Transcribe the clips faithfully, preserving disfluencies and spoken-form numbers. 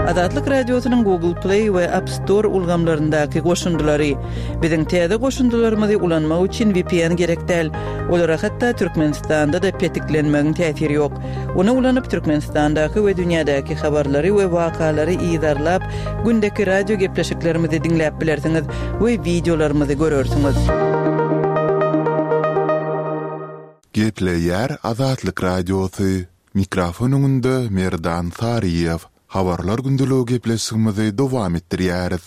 Azatlyk Radiosynyň Google Play we App Store ulgamlaryndaky goşundylary. Biziň täze goşundylarymyzy ulanmak üçin V P N gerek däl. Olara hatda Türkmenistanda-da petiklenmegiň täsiri ýok. Ony ulanyp Türkmenistandaky we dünýädäki habarlary we wakalary yzarlap, gündeki radio gepleşiklerimizi diňläp bilersiňiz we wideolarymyzy görersiňiz. Gepleýär Azatlyk Radiosy. Mikrofon öňünde Merdan Saryýew. Habarlar gündeligi gepleşigimizi dowam etdirýäris.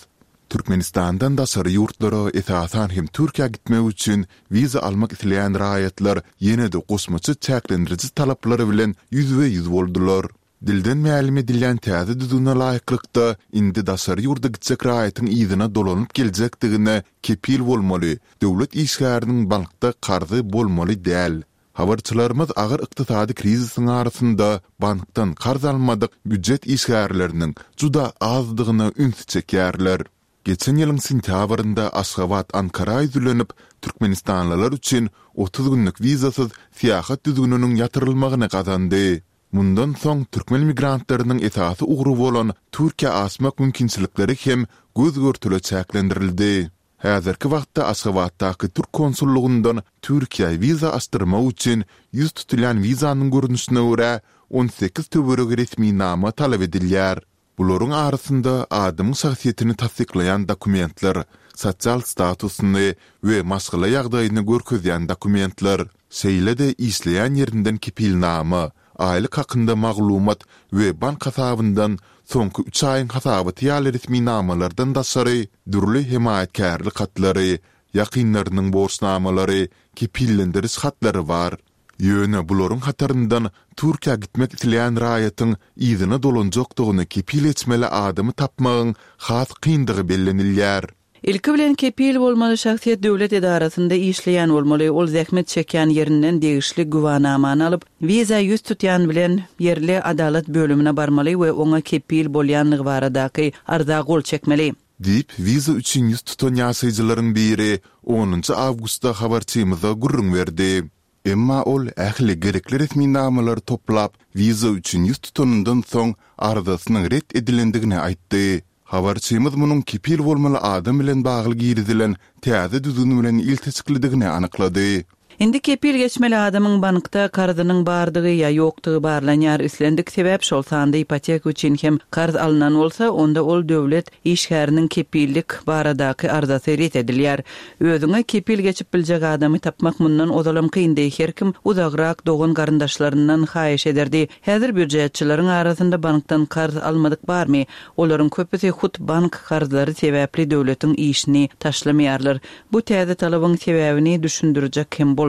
Türkmenistandan daşary ýurtlara, esasan hem Türkiýä gitmek üçin wiza almak isleýän raýatlar ýene-de goşmaça çäklendiriji talaplar bilen ýüzbe-ýüz boldular. Dilden mälim edilýän täze düzgüne laýyklykda, indi daşary ýurda gitjek raýatyň yzyna dolanyp geljekdigine kepil bolmaly, döwlet işgäriniň bankda karzy bolmaly däl. Habarçylarymyz agyr ykdysady krizisiň arasynda bankdan karz almadyk býujet işgärleriniň juda azdygyna ünsi çekýärler. Geçen ýylyň sentýabrynda Aşgabat Ankara ýüzlenip, türkmenistanlylar üçin otuz günlük wizasyz syýahat düzgüniniň ýatyrylmagyny gazandy. Mundan soň türkmen migrantlarynyň esasy ugry bolan Türkiýä aşmak mümkinçilikleri hem göz-görtele çäklendirildi. Häzirki wagtda Aşgabatdaky türk konsullugyndan Türkiýä wiza açdyrmak üçin ýüz tutulýan wizanyň görnüşine görä on sekiz töweregi resminama talap edilýär. Bularyň arasynda adamyň şahsyýetini tassyklaýan dokumentler, sosial statusyny we maşgala ýagdaýyny görkezýän dokumentler, şeýle-de işleýän ýerinden kepilnama, aýlyk hakynda maglumat we bank hasabyndan soňky üç aýyň hasabaty ýaly resminamalardan daşary dürli hemaýatkärlik hatlary, ýakynlarynyň borçnamalary, kepillendiriş hatlary bar. Ýöne bularyň hataryndan Türkiýä gitmek isleýän raýatyň yzyna dolanjakdygyny kepil geçmeli adamy tapmagyň has kyndygy bellenilýär. Ilki bilen kepil bolmaly şahsyýet döwlet edarasynda işleýän bolmaly, ol zähmet çekýän ýerinden degişli güwanamany alyp, wiza ýüz tutýan bilen ýerli adalat bölümine barmaly we oňa kepil bolýanlygy baradaky arza gol çekmeli. Diýip, wiza üçin ýüz tutan ýaşaýjylaryň biri onunjy awgustda habarçymyza gürrüň berdi. Emma ol ähli gerekli resminamalary toplap, wiza üçin ýüz tutanyndan soň arzasynyň ret edilendigini aýtdy. Habarçymyz munuň kepil bolmaly adam bilen bagly girizilen täze düzgün bilen ilteşiklidigini anyklady. Indi kepil geçmeli adamyň bankda karzynyň bardygy ýa ýokdugy barlanýar. Islendik sebäp, şol sanda ipoteka üçin hem karz alnan bolsa, onda ol döwlet işgäriniň kepillik baradaky arzasy ret edilýär. Özüňe kepil geçip biljek adamy tapmak mundan ozalam kyndy. Her kim uzagrak dogan garyndaşlaryndan haýyş ederdi. Häzir býujetçileriň arasynda bankdan karz almadyk barmy? Olaryň köpüsi hut bank karzlary sebäpli döwletiň işini taşlamaýarlar. Bu täze talabyň sebäbini düşündirjek hem bolmaýarlar.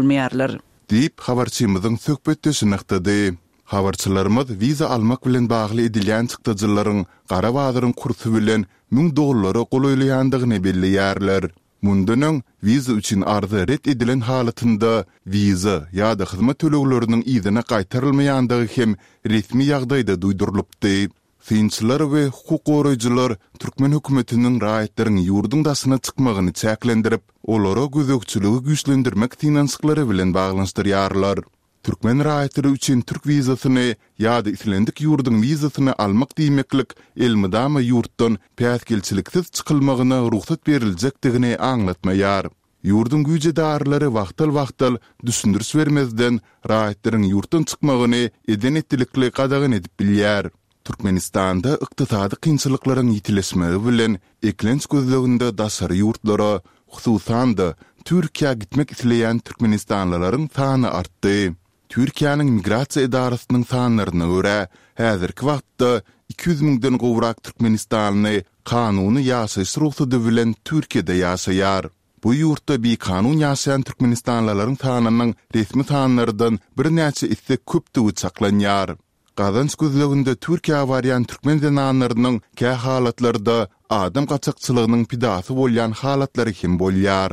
Diýip, habarçymyzyň söhbetdeşi nygtady. Habarçylarymyz wiza almak bilen bagly edilýän çykdajylaryň gara bazaryň kursy bilen müň dollara golaýlaýandygyny belleýärler. Mundan öň wiza üçin arza ret edilen halatynda wiza ýa-da hyzmat tölegleriniň yzyna gaýtarylmaýandygy hem resmi ýagdaýda duýdurylypdy. Synçylar we hukuk goraýjylar türkmen hökümetiniň raýatlaryň ýurduň daşyna çykmagyny çäklendirip, olara gözegçiligi güýçlendirmek synanyşyklary bilen baglanyşdyrýarlar. Türkmen raýatlary üçin türk wizasyny ýa-da islendik ýurduň wizasyny almak diýmeklik elmydama ýurtdan päsgelçiliksiz çykylmagyna rugsat beriljekdigini aňlatmaýar. Ýurduň güýç edaralary wagtal-wagtal düşündiriş bermezden raýatlaryň ýurtdan çykmagyny eden-etdilikli gadagan edip bilýär. Türkmenistanda ykdysady kynçylyklaryň ýitileşmegi bilen eklenç gözleginde daşary ýurtlara, hususan-da Türkiýä gitmek isleýän türkmenistanlylaryň sany artdy. Türkiýäniň migrasiýa edarasynyň sanlaryna görä, häzirki wagtda iki ýüz müňden gowrak türkmenistanly kanuny ýaşaýyş rugsady bilen Türkiýede ýaşaýar. Bu ýurtda bikanun ýaşaýan türkmenistanlylaryň sanynyň resmi sanlardan birnäçe esse köpdügi çaklanýar. Gazanç gözleginde Türkiýä barýan türkmen zenanlarynyň kä halatlarda adam gaçakçylygynyň pidasy bolýan halatlary hem bolýar.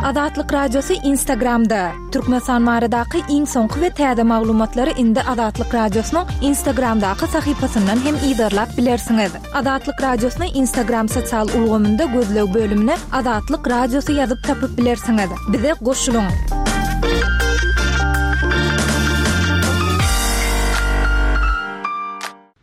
Azatlyk Radiosy Instagramda. Türkmenistan baradaky iň soňky we täze maglumatlary indi Azatlyk Radiosynyň Instagramdaky sahypasyndan hem yzarlap bilersiňiz. Azatlyk Radiosyny Instagram sosial ulgamynda gözleg bölümine Azatlyk Radiosy ýazyp tapyp bilersiňiz. Bize goşulyň!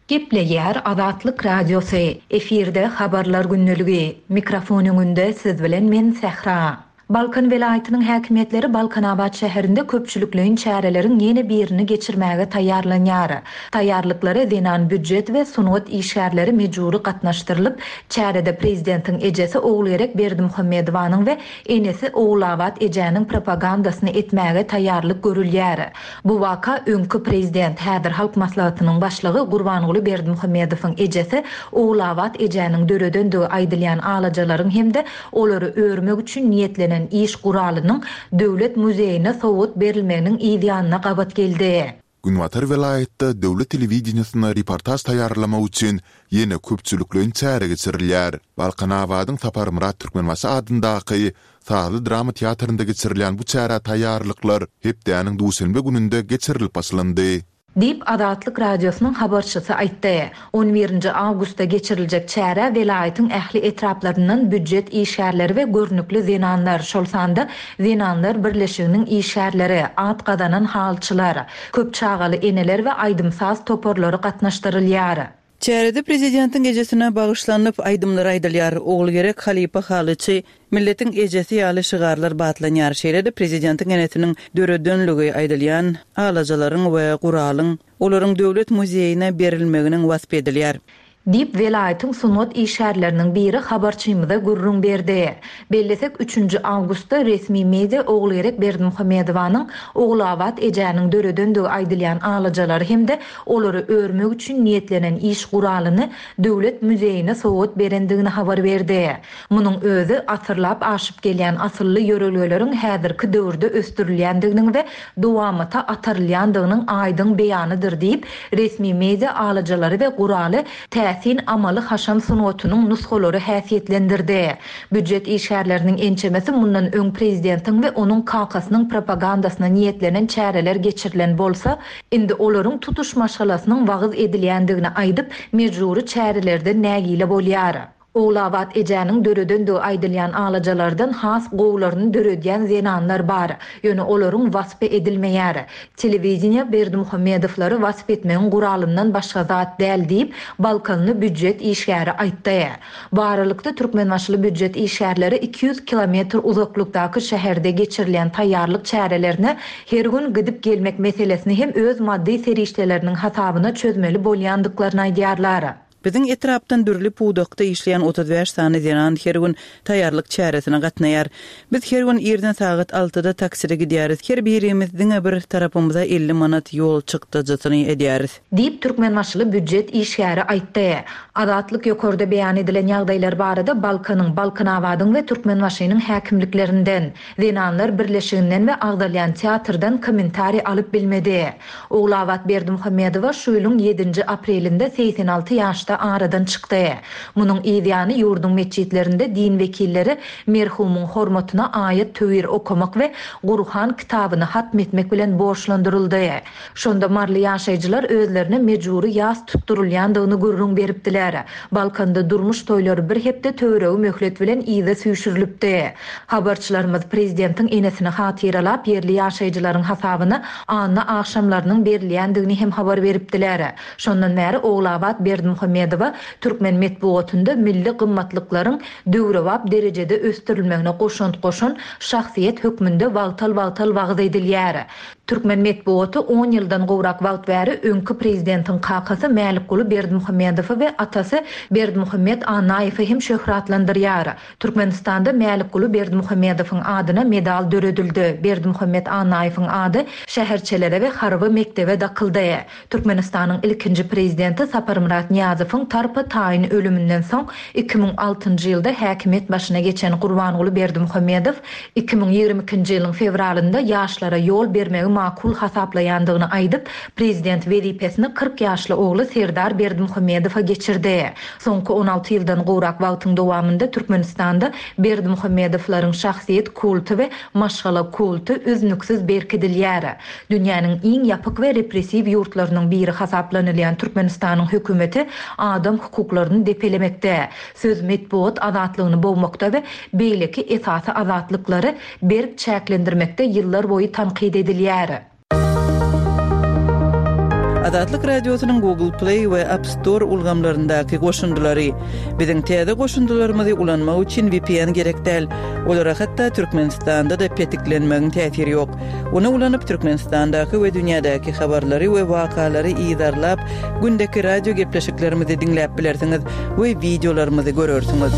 Gepleýär Azatlyk Radiosy. Efirde Habarlar gündeligi. Mikrofon öňünde siz bilen men Sähra. Balkan welaýatynyň häkimiýetleri Balkanabat şäherinde köpçülikleýin çäreleriň ýene birini geçirmäge taýýarlanýar. Taýýarlyklara zenan býujet we sungat işgärleri mejbury gatnaşdyrylyp, çärede prezidentiň ejesi Ogulgerek Berdimuhamedowanyň we enesi Ogulabat ejäniň propagandasyny etmäge taýýarlyk görülýär. Bu waka öňki prezident, häzir Halk Maslahatynyň başlygy Gurbanguly Berdimuhamedowyň ejesi Ogulabat ejäniň döredendigi aýdylýan alajalaryň hem-de olary örmek üçin niýetlenen iş guralynyň Döwlet muzeýine sowgat berilmeginiň yz ýanyna gabat geldi. Günbatar welaýatda döwlet telewideniýesine reportaž taýýarlamak üçin ýene köpçülikleýin çäre geçirilýär. Balkanabadyň Saparmyrat Türkmenbaşy adyndaky sazly drama teatrynda geçirilýän bu çärä taýýarlyklar hepdäniň duşenbe gününde geçirilip başlandy. Diýip, Azatlyk Radiosynyň habarçysy aýtdy. On birinji awgustda geçiriljek çärä welaýatyň ähli etraplaryndan býujet işgärleri we görnükli zenanlar, şol sanda Zenanlar birleşiginiň işgärleri, at gazanan halyçylar, köp çagaly eneler we aýdym-saz toparlary gatnaşdyrylýar. Çärede prezidentiň ejesine bagyşlanyp aýdymlar aýdylýar. Ogulgerek halypa halyçy, milletiň ejesi ýaly şygarlar batlanýar. Şeýle-de prezidentiň enesiniň döredenligi aýdylýan alajalaryň we guralyň olaryň döwlet muzeýine berilmeginiň wasp edilýär. Diýip, welaýatyň sungat işgärleriniň biri habarçymyza gürrüň berdi. Bellesek, üçünji awgustda resmi media Ogulgerek Berdimuhamedowanyň Ogulabat ejäniň döredendigi aýdylýan alajalary hem-de olary örmek üçin niýetlenen iş guralyny Döwlet muzeýine sowgat berendigini habar berdi. Munuň özi asyrlap aşyp gelýän asylly ýörelgeleriň häzirki döwürde ösdürilýändiginiň we dowamata atarylýandygynyň aýdyň beýanydyr diýip, resmi media alajalary we guraly täsin amaly-haşam sungatynyň nusgalary häsiýetlendirdi. Býujet işgärleriniň ençemesi mundan öň prezidentiň we onuň kakasynyň propagandasyna niýetlenen çäreler geçirilen bolsa, indi olaryň tutuş maşgalasynyň wagyz edilýändigini aýdyp, mejbury çärelerden nägile bolýar. Ogulabat ejäniň döredendigi aýdylýan alajalardan has gowularyny döredýän zenanlar bar. Ýöne olaryň waspy edilmeýär. Telewideniýe Berdimuhamedowlary wasp etmegiň guralyndan başga zat däl diýip, balkanly býujet işgäri aýtdy. Bu aralykda türkmenbaşyly býujet işgärleri iki ýüz kilometr uzaklykdaky şäherde geçirilýän taýýarlyk çärelerine her gün gidip gelmek meselesini hem öz maddy serişdeleriniň hasabyna çözmeli bolýandyklaryny aýdýarlar. Biziň etrapdan dürli pudakda işleýän otuz bäş sany zenan her gün taýýarlyk çäresine gatnaýar. Biz her gün irden sagat altyda takside gidýäris. Her birimiz diňe bir tarapymyza elli manat ýol çykdajysyny edýäris. Diýip, türkmenbaşyly býujet işgäri aýtdy. Azatlyk ýokarda beýan edilen ýagdaýlar barada Balkanyň, Balkanabadyň we Türkmenbaşynyň häkimliklerinden, Zenanlar birleşiginden we agzalýan teatrdan kommentariý alyp bilmedi. Ogulabat Berdimuhamedowa şu ýylyň ýedinji aprelinde segsen alty ýaşda aradan çykdy. Munuň yz ýany ýurduň metjitlerinde din wekilleri merhumyň hormatyna aýat töwir okamak we Gurhan kitabyny hatm etmek bilen borçlandyryldy. Şonda marly ýaşaýjylar özlerine mejbury ýas tutdurylýandygyny gürrüň beripdiler. Balkanda durmuş toýlary bir hepde töweregi möhlet bilen yza süýşürilipdi. Habarçylarymyz prezidentiň enesini hatyralap ýerli ýaşaýjylaryň hasabyna anna agşamlarynyň berilýändigini hem habar beripdiler. Şondan bäri Ogulabat Berdimuhamedowa türkmen metbugatynda milli gymmatlyklaryň döwrebap derejede ösdürilmegine goşant goşan şahsyýet hökmünde wagtal-wagtal wagyz edilýär. Türkmen metbugaty on ýyldan gowrak wagt bäri öňki prezidentiň kakasy Mälikguly Berdimuhamedowy we atasy Berdimuhamed Annaýewi hem şöhratlandyrýar. Türkmenistanda Mälikguly Berdimuhamedowyň adyna medal döredildi. Berdimuhamed Annaýewiň ady şäherçelere we harby mekdebe dakyldy. Türkmenistanyň ilkinji prezidenti Saparmyrat Nyýazowyň tarpa taýyn ölüminden soň iki müň altynjy ýylda häkimiýet başyna geçen Gurbanguly Berdimuhamedow iki müň ýigrimi ikinji ýylyň fewralynda ýaşlara ýol bermegi makul hasaplaýandygyny aýdyp, prezident wezipesini kyrk ýaşly ogly Serdar Berdimuhamedowa geçirdi. Soňky on alty ýyldan gowrak wagtyň dowamynda Türkmenistanda Berdimuhamedowlaryň şahsyýet kulty we maşgala kulty üznüksiz berkidilýär. Dünýäniň iň ýapyk we repressiw ýurtlarynyň biri hasaplanylýan Türkmenistanyň hökümeti adam hukuklaryny depelemekde, söz metbugat azatlygyny bogmakda we beýleki esasy azatlyklary berk çäklendirmekde ýyllar boýy tankyt edilýär. Azatlyk Radiosynyň Google Play we App Store ulgamlaryndaky goşundylary. Biziň täze goşundylarymyzy ulanmak üçin V P N gerek däl. Olara hatda Türkmenistanda-da petiklenmegiň täsiri ýok. Ony ulanyp Türkmenistandaky we dünýädäki habarlary we wakalary yzarlap, gündeki radio gepleşiklerimizi diňläp bilersiňiz we wideolarymyzy görersiňiz.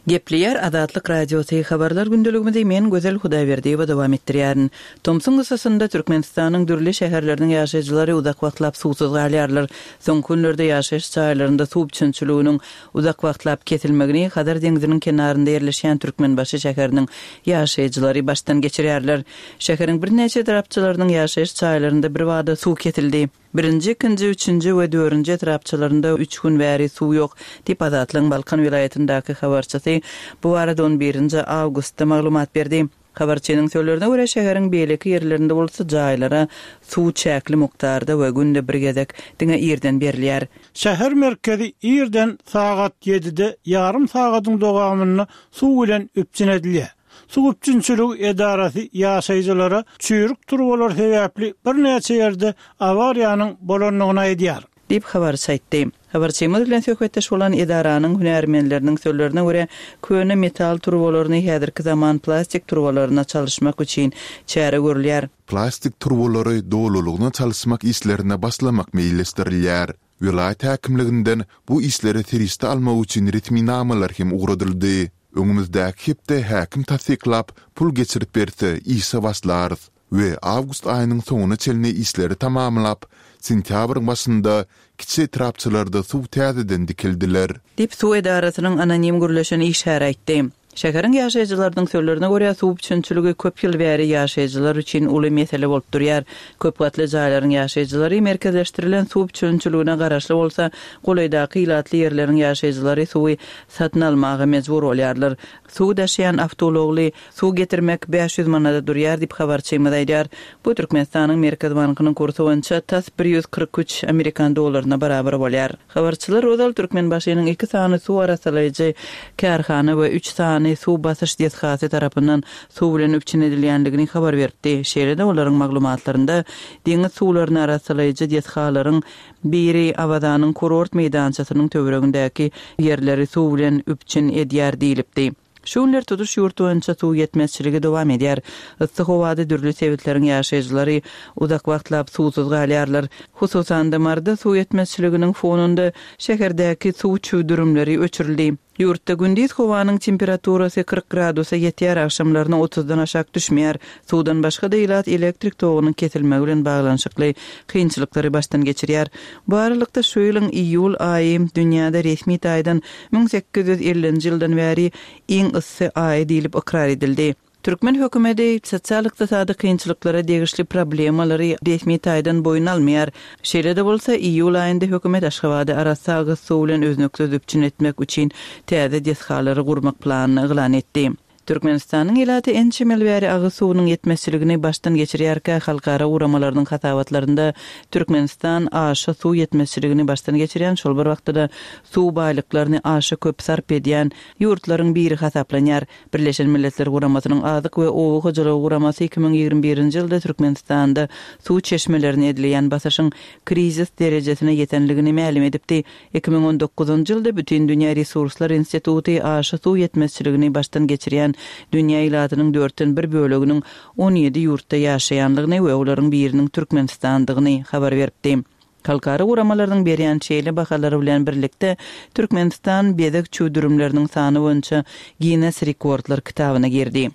Gepleýär Azatlyk Radiosy, habarlar gündeligimizi men Gözel Hudaýberdiýewa dowam etdirýärin. Tomsuň yssysynda Türkmenistanyň dürli şäherleriniň ýaşaýjylary uzak wagtlap suwsuz galýarlar. Soňky günlerde ýaşaýyş jaýlarynda suw üpjünçiliginiň uzak wagtlap kesilmegini Hazar deňziniň kenarynda ýerleşýän Türkmenbaşy şäheriniň ýaşaýjylary başdan geçirýärler. Şäheriň birnäçe etrapçalarynyň ýaşaýyş jaýlarynda birbada suw kesildi. Birinji, ikinji, üçünji we dördünji etrapçalarynda üç gün bäri suw ýok, diýip Azatlygyň Balkan welaýatyndaky habarçysy bu barada on birinji awgustda maglumat berdi. Habarçynyň sözlerine görä, şäheriň beýleki ýerlerinde bolsa jaýlara suw çäkli mukdarda we günde bir gezek diňe irden berilýär. Şäher merkezi irden sagat ýedide ýarym sagadyň dowamynda suw bilen üpjün edilýär. Suw üpjünçiligi edarasy ýaşaýjylara çüýrük turbalar sebäpli birnäçe ýerde awariýanyň bolandygyny aýdýar. Diýip habarçy aýtdy. Habarçymyz bilen söhbetdeş bolan edaranyň hünärmenleriniň sözlerine görä, köne metal turbalaryny häzirki zaman plastik turbalaryna çalyşmak üçin çäre görülýär. Plastik turbalary dolulygyna çalyşmak işlerine başlamak meýilleşdirilýär. Welaýat häkimliginden bu işlere serişde almak üçin resminamalar hem ugradyldy. Öňümizdäki hepde häkim tassyklap, pul geçirip berse, işe başlarys we awgust aýynyň soňuna çenli işleri tamamlap, sentýabryň başynda kiçi etrapçalarda suw täzeden dikeldiler. Diýip suw edarasynyň anonim gürleşen işgäri aýtdy. Şäheriň ýaşaýjylarynyň sözlerine görä, suw üpjünçiligi köp ýyl bäri ýaşaýjylar üçin uly mesele bolup durýar. Köp gatly jaýlaryň ýaşaýjylary merkezleşdirilen suw üpjünçiligine garaşly bolsa, golaýdaky ilatly ýerleriň ýaşaýjylary suwy satyn almaga mejbur bolýarlar. Suw daşaýan awtoulagly suw getirmek bäş ýüz manada durýar diýip habarçymyz aýdýar. Bu Türkmenistanyň Merkez bankynyň kursy boýunça tas bir ýüz kyrk üç amerikan dollaryna barabar bolýar. Habarçylar ozal Türkmenbaşynyň iki sany suw arassalaýjy kärhana we üç sany suw basyş desgasy tarapyndan suw bilen üpjün edilýändigini habar beripdi. Şeýle-de olaryň maglumatlarynda deňiz suwlaryny arassalaýjy desgalaryň biri Awazanyň kurort meýdançasynyň töweregindäki ýerleri suw bilen üpjün edýär diýilipdi. Şu günler tutuş ýurt boýunça suw ýetmezçiligi dowam edýär. Yssy howada dürli sebitleriň ýaşaýjylary uzak wagtlap suwsuz galýarlar. Hususan-da Maryda suw ýetmezçiliginiň fonunda şäherdäki suw çüwdürimleri öçürildi. Ýurtda gündiz howanyň temperaturasy kyrk gradusa ýetýär, agşamlaryna otuzdan aşak düşmeýär. Suwdan başga-da ilat elektrik togunyň kesilmegi bilen baglanyşykly kynçylyklary başdan geçirýär. Bu aralykda şu ýylyň iýul aýy dünýäde resmi taýdan müň sekiz ýüz ellinji ýyldan bäri iň yssy aýy diýlip ykrar edildi. Türkmen hökümeti sosial-ykdysady kynçylyklara degişli problemalary resmi taýdan boýun almaýar. Şeýle-de bolsa, iýul aýynda hökümet Aşgabady arassa agyz suw bilen üznüksiz üpjün etmek üçin täze desgalary gurmak planyny yglan etdi. Türkmenistanyň ilaty ençeme ýyl bäri agyz suwunyň ýetmezçiligini başdan geçirýärkä, halkara guramalarynyň hasabatlarynda Türkmenistan aşa suw ýetmezçiligini başdan geçirýän, şol bir wagtda-da suw baýlyklaryny aşa köp sarp edýän ýurtlaryň biri hasaplanýar. Birleşen Milletler Guramasynyň Azyk we Oba hojalygy guramasy iki müň ýigrimi birinji ýylda Türkmenistanda suw çeşmelerine edilýän basyşyň krizis derejesine ýetenligini mälim edipdi. Iki müň on dokuzynjy ýylda Bütindünýä Resurslar Instituty aşa suw ýetmezçiligini başdan geçirýän dünýä ilatynyň dörtden bir böleginiň on ýedi ýurtda ýaşaýanlygyny we olaryň biriniň Türkmenistandygyny habar beripdi. Halkara guramalarynyň berýän şeýle bahalary bilen birlikde Türkmenistan bezeg çüwdürimleriniň sany boýunça Guinness rekordlar kitabyna girdi.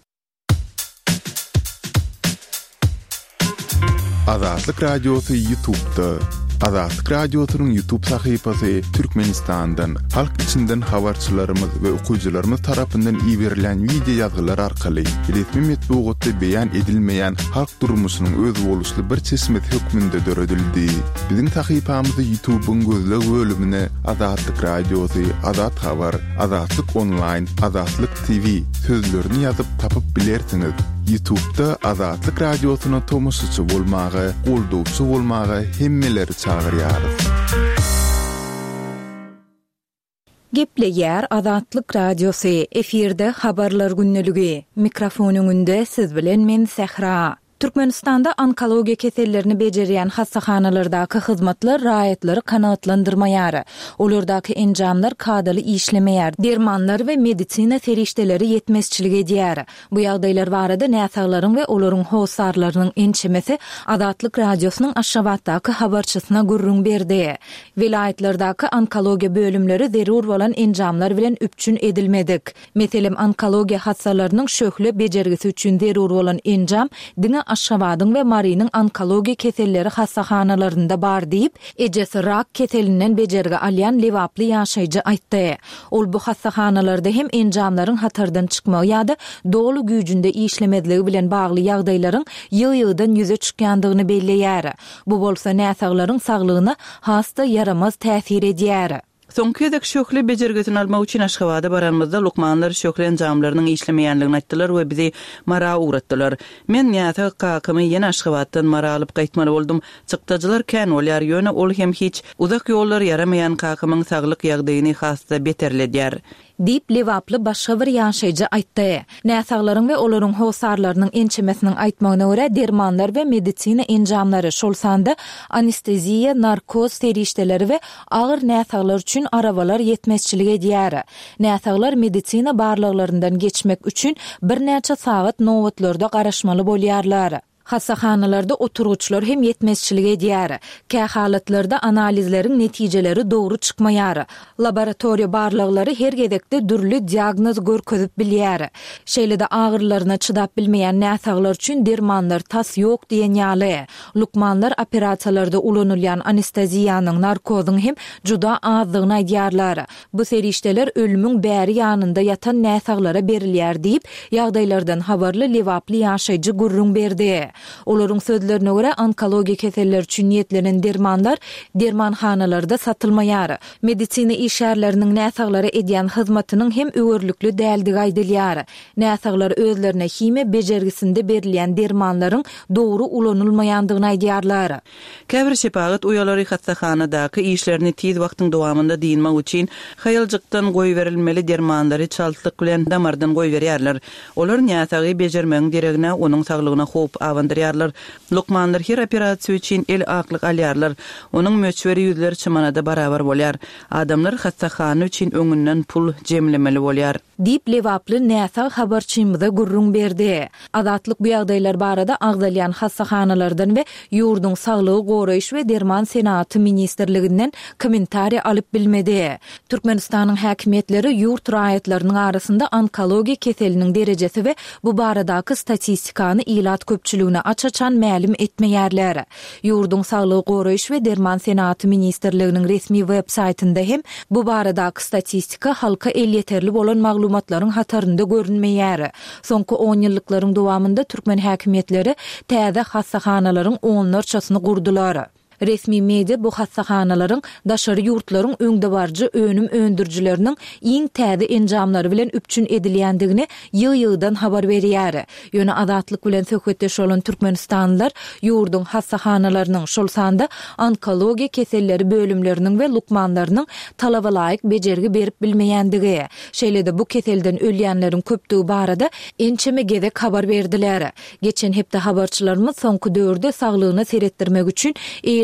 Azatlyk Radiosy YouTube'da. Azatlyk Radiosynyň YouTube sahypasy Türkmenistandan, halk içinden habarçylarymyz we okyjylarymyz tarapyndan iberilen wideo ýazgylar arkaly resmi metbugatda beýan edilmeýän halk durmuşynyň özboluşly bir çeşmesi hökmünde döredildi. Biziň sahypamyzy YouTube'yň gözleg bölümine Azatlyk Radiosy, Azat Habar, Azatlyk Online, Azatlyk T V sözlerini ýazyp tapyp bilersiňiz. YouTube'da Azatlyk Radiosyna tomaşaçy bolmaga, goldawçy bolmaga hemmeleri çagyrýarys. Gepleýär Azatlyk Radiosy, efirde habarlar gündeligi. Mikrofon öňünde siz bilen men Sähra. Türkmenistanda onkologiýa kesellerini bejerýän hassahanalardaky hyzmatlar raýatlary kanagatlandyrmaýar. Olardaky enjamlar kadaly işlemeýär, dermanlar we medisina serişdeleri ýetmezçilik edýär. Bu ýagdaýlar barada näsaglaryň we olaryň hossarlarynyň ençemesi Azatlyk Radiosynyň Aşgabatdaky habarçysyna gürrüň berdi. Welaýatlardaky onkologiýa bölümleri zerur bolan enjamlar bilen üpjün edilmedik. Meselem, onkologiýa hassalarynyň şöhle bejergisi üçin zerur bolan enjam diňe Aşgabadyň we Marynyň onkologiýa keselleri hassahanalarynda bar diýip, ejesi rak keselinden bejergi alýan lebaply ýaşaýjy aýtdy. Ol bu hassahanalarda hem enjamlaryň hatardan çykmagy ýa-da doly güýjünde işlemezligi bilen bagly ýagdaýlaryň ýygy-ýygydan ýüze çykýandygyny belleýär. Bu bolsa näsaglaryň saglygyna has-da ýaramaz täsir edýär. Soňky gezek şöhle bejergisini almak üçin Aşgabada baranymyzda lukmanlar şöhle enjamlarynyň işlemeýänligini aýtdylar we bizi Mara ugratdylar. Men näsag kakamy ýene Aşgabatdan Mara alyp gaýtmaly boldum. Çykdajylar kän bolýar, ýöne ol hem hiç. Uzak ýollar ýaramaýan kakamyň saglyk ýagdaýyny has-da beterledýär. Diýip, lebaply başga bir ýaşaýjy aýtdy. Näsaglaryň we olaryň hossarlarynyň ençemesiniň aýtmagyna görä, dermanlar we medisina enjamlary, şol sanda anesteziýa, narkoz serişdeleri we agyr näsaglar üçin arabalar ýetmezçilik edýär. Näsaglar medisina barlaglaryndan geçmek üçin birnäçe sagat nobatlarda garaşmaly bolýarlar. Hassahanalarda oturgyçlar hem ýetmezçilik edýär. Kähalatlarda analizleriň netijeleri dogry çykmaýar. Laboratoriýa barlaglary her gezekde dürli diagnoz görkezip bilýär. Şeýle-de agyrylaryna çydap bilmeýän näsaglar üçin dermanlar tas ýok diýen ýaly. Lukmanlar operasiýalarda ulanylýan anesteziýanyň, narkozyň hem juda azdygyny aýdýarlar. Bu serişdeler ölümiň bäri ýanynda ýatan näsaglara berilýär diýip, ýagdaýlardan habarly lebaply ýaşaýjy gürrüň berdi. Olaryň sözlerine görä, onkologiýa keselleri üçin niýetlenen dermanlar dermanhanalarda satylmaýar. Medisina işgärleriniň näsaglara edýän hyzmatynyň hem öwerlikli däldigi aýdylýar. Näsaglar özlerine himiýa bejergisinde berilýän dermanlaryň dogry ulanylmaýandygyny aýdýarlar. Käbir şepagat uýalary hassahanadaky işlerini tiz wagtyň dowamynda dynmak üçin haýaljykdan goýberilmeli dermanlary çaltlyk bilen damardan goýberýärler. Olar näsagy bejermegiň deregine onuň saglygyna howp abandyrýarlar. Lukmanlar her operasiýa üçin el aklyk alýarlar. Onuň möçberi ýüzlerçe manada barabar bolýar. Adamlar hassahana üçin öňünden pul jemlemeli bolýar. Diýip, lebaply näsag habarçymyza gürrüň berdi. Azatlyk bu ýagdaýlar barada agzalýan hassahanalardan we ýurduň Saglygy goraýyş we derman senagaty ministrliginden kommentariý alyp bilmedi. Türkmenistanyň häkimiýetleri ýurt raýatlarynyň arasynda onkologiýa keseliniň derejesi we bu baradaky statistikany ilat köpçüligine aç-açan mälim etmeýärler. Ýurduň Saglygy goraýyş we derman senagaty ministrliginiň resmi web saýtynda hem bu baradaky statistika halka elýeterli bolan maglumatlaryň hatarynda görünmeýär. Soňky onýyllyklaryň dowamynda türkmen häkimiýetleri täze hassahanalaryň onlarçasyny gurdular. Resmi media bu hassahanalaryň daşary ýurtlaryň öňdebaryjy önüm öndürijileriniň iň täze enjamlary bilen üpjün edilýändigini ýygy-ýygydan habar berýär. Ýöne Azatlyk bilen söhbetdeş bolan türkmenistanlylar ýurduň hassahanalarynyň, şol sanda onkologiýa keselleri bölümleriniň we lukmanlarynyň talabalaýyk bejergi berip bilmeýändigi, şeýle-de bu keselden ölýänleriň köpdügi barada ençeme gezek habar berdiler. Geçen hepde habarçylarymyz soňky döwürde saglygyna seretdirmek üçin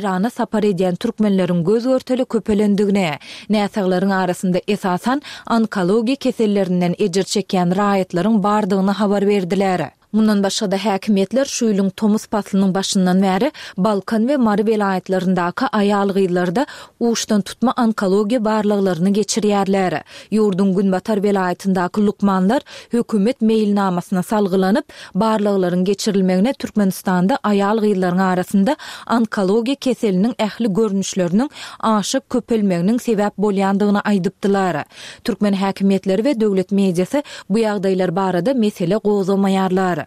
Eýrana sapar edýän türkmenleriň göz-görtele köpelendigini, näsaglaryň arasynda esasan onkologiýa kesellerinden ejir çekýän raýatlaryň bardygyny habar berdiler. Mundan başga-da häkimiýetler şu ýylyň tomus paslynyň başyndan bäri Balkan we Mary welaýatlaryndaky aýal-gyzlarda uçdantutma onkologiýa barlaglaryny geçirýärler. Ýurduň günbatar welaýatyndaky lukmanlar hökümet meýilnamasyna salgylanyp, barlaglaryň geçirilmegine Türkmenistanda aýal-gyzlaryň arasynda onkologiýa keseliniň ähli görnüşleriniň aşa köpelmeginiň sebäp bolýandygyny aýdypdylar. Türkmen häkimiýetleri we döwlet mediasy bu ýagdaýlar barada mesele gozgamaýarlar.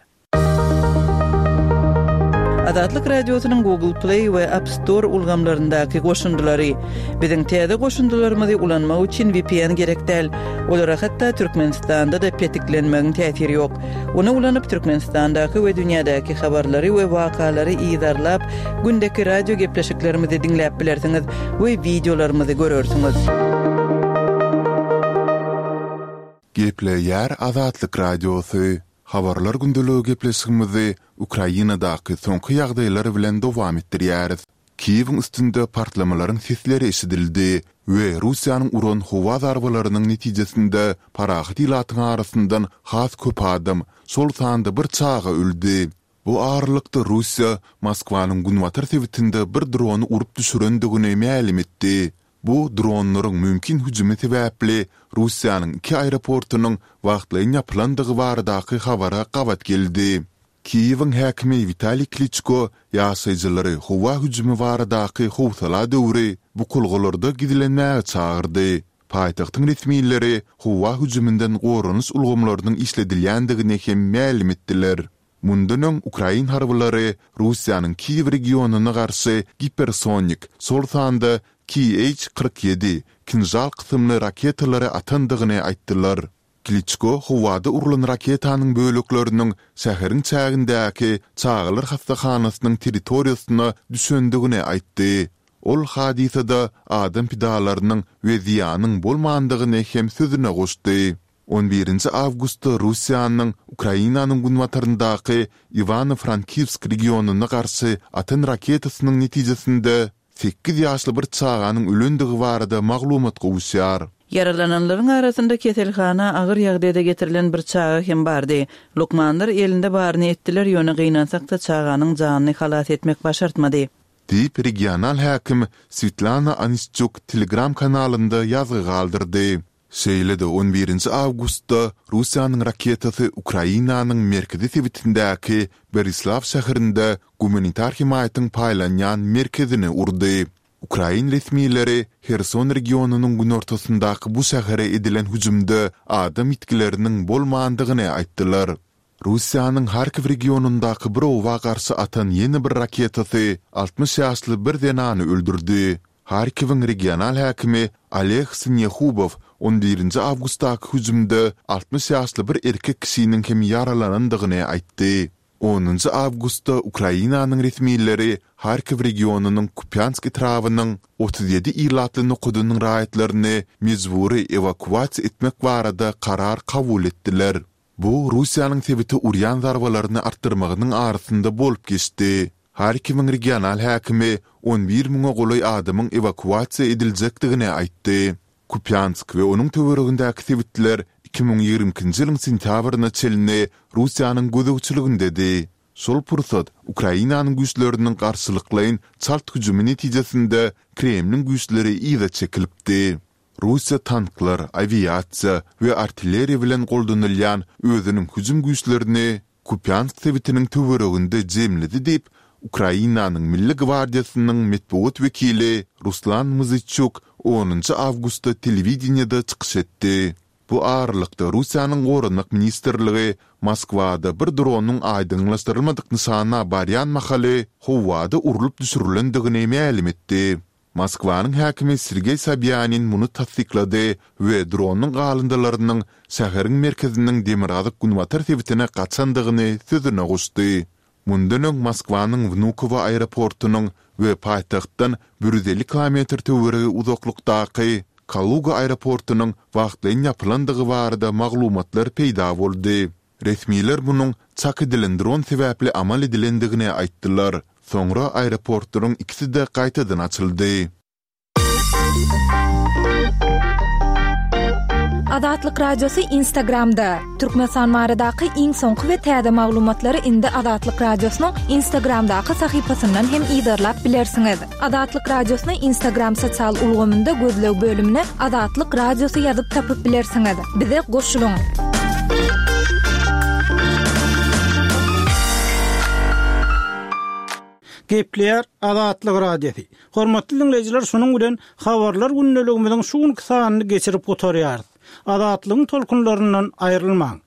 Azatlyk Radiosynyň Google Play we App Store ulgamlaryndaky goşundylary. Biziň täze goşundylarymyzy ulanmak üçin V P N gerek däl. Olara hatda Türkmenistanda-da petiklenmegiň täsiri ýok. Ony ulanyp Türkmenistandaky we dünýädäki habarlary we wakalary yzarlap, gündeki radio gepleşiklerimizi diňläp bilersiňiz we wideolarymyzy görersiňiz. Gepleýär Azatlyk Radiosy. Habarlar gündeligi gepleşigimizi Ukrainadaky soňky ýagdaýlar bilen dowam etdirýäris. Kiýewiň üstünde partlamalaryň sesleri eşidildi we Russiýanyň uran howa zarbalarynyň netijesinde parahat ilatyň arasyndan has köp adam, şol sanda bir çaga öldi. Bu aralykda Russiýa Moskwanyň günbatar sebitinde bir drony urup düşürendigini mälim etdi. Bu dronlaryň mümkin hüjümi sebäpli Russiýanyň iki aeroportunyň wagtlaýyn ýapylandygy baradaky habara gabat geldi. Kiýewiň häkimi Witaliý Kliçko ýaşaýjylary howa hüjümi baradaky howsala döwri bukulgalarda gizlenmäge çagyrdy. Paýtagtyň resmileri howa hüjüminden goranyş ulgamlarynyň işledilýändigini hem mälim etdiler. Mundan öň ukrain harbylary Russiýanyň Kiýew regionyna garşy gipersonik, şol sanda K H kyrk ýedi Kinžal kysymly raketalary atandygyny aýtdylar. Kliçko howada urlan raketanyň bölekleriniň şäheriň çägindäki çagalar hassahanasynyň territoriýasyna düşendigini aýtdy. Ol hadysada adam pidalarynyň we zyýanyň bolmandygyny hem sözüne goşdy. On birinji awgustda Russiýanyň Ukrainanyň günbataryndaky Iwano-Frankiwsk regionyna garşy atan raketasynyň netijesinde sekiz ýaşly bir çaganyň ölendigi barada maglumat gowuşýar. Ýaralananlaryň arasynda keselhana agyr ýagdaýda getirilen bir çaga hem bardy. Lukmanlar elinde baryny etdiler, ýöne gynansak-da çaganyň janyny halas etmek başartmady. Diýip, regional häkim Swetlana Onişçuk Telegram kanalynda ýazgy galdyrdy. Şeýle-de on birinji awgustda Russiýanyň raketasy Ukrainanyň merkezi sebitindäki Berislaw şäherinde gumanitar hemaýatyň paýlanýan merkezini urdy. Ukrain resmileri Herson regionynyň günortasyndaky bu şähere edilen hüjümde adam ýitgileriniň bolmandygyny aýtdylar. Russiýanyň Harkiw regionyndaky bir oba garşy atan ýene bir raketasy altmyş ýaşly bir zenany öldürdi. Harkiwiň regional häkimi Oleg Sinýehubow on birinji awgustdaky hüjümde altmyş ýaşly bir erkek kişiniň hem ýaralanandygyny aýtdy. Onunjy awgustda Ukrainanyň resmileri Harkiw regionynyň Kupýansk etrabynyň otuz ýedi ilatly nokadynyň raýatlaryny mejbury ewakuasiýa etmek barada karar kabul etdiler. Bu Russiýanyň sebite urýan zarbalaryny artdyrmagynyň arasynda bolup geçdi. Harkiwiň regional häkimi on bir müňe golaý adamyň ewakuasiýa ediljekdigini aýtdy. Kupýansk we onuň töweregindäki sebitler iki müň ýigrimi ikinji ýylyň sentýabryna çenli Russiýanyň gözegçiligindedi. Şol pursat Ukrainanyň güýçleriniň garşylyklaýyn çalt hüjümi netijesinde Kremliň güýçleri yza çekilipdi. Russiýa tanklar, awiasiýa we artilleriýa bilen goldanylýan özüniň hüjüm güýçlerini Kupýansk sebitiniň töwereginde jemledi diýip, Ukrainanyň Milli gwardiýasynyň metbugat wekili Ruslan Muzyçuk onunjy awgustda telewideniýede çykyş etdi. Bu aralykda Russiýanyň Goranmak ministrligi Moskwada bir dronyň aýdyňlaşdyrylmadyk nyşana barýan mahaly howada urlup düşürilendigini mälim etdi. Moskwanyň häkimi Sergeý Sobýanin muny tassyklady we dronyň galyndylarynyň şäheriň merkeziniň demirgazyk-günbatar sebitine gaçandygyny sözüne goşdy. Mundan öň Moskwanyň Wnukowo aeroportunyň we paýtagtdan bir ýüz elli kilometr töweregi uzaklykdaky Kaluga aeroportunyň wagtlaýyn ýapylandygy barada maglumatlar peýda boldy. Resmiler munuň çak edilen dron sebäpli amal edilendigini aýtdylar. Soňra aeroportlaryň ikisi-de gaýtadan açyldy. Azatlyk Radiosy Instagramda. Türkmenistan baradaky iň soňky we täze maglumatlary indi Azatlyk Radiosynyň Instagramdaky sahypasyndan hem yzarlap bilersiňiz. Azatlyk Radiosyny Instagram sosial ulgamynda gözleg bölümine Azatlyk Radiosy ýazyp tapyp bilersiňiz. Bize goşulyň. Gepleýär Azatlyk Radiosy. Hormatly dinleýjiler, şunuň bilen habarlar gündeligimiziň şu günki sanyny geçirip gutarýarys. Azatlygyň tolkunlaryndan aýrylmaň.